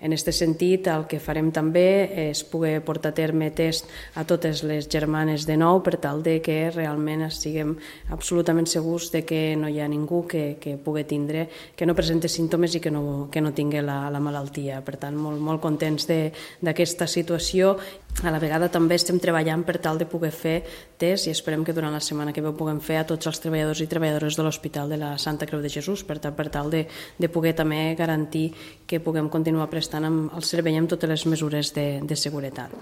En aquest sentit, el que farem també és poder portar a terme test a totes les germanes de nou per tal de que realment estiguem absolutament segurs de que no hi ha ningú que pugui tindre, que no presenti símptomes i que no tingui la malaltia. Per tant, molt contents d'aquesta situació. A la vegada també estem treballant per tal de poder fer test i esperem que durant la setmana que ve ho puguem fer a tots els treballadors i treballadores de l'Hospital de la Santa Creu de Jesús per tal de poder també garantir que puguem continuar prestant el servei amb totes les mesures de seguretat.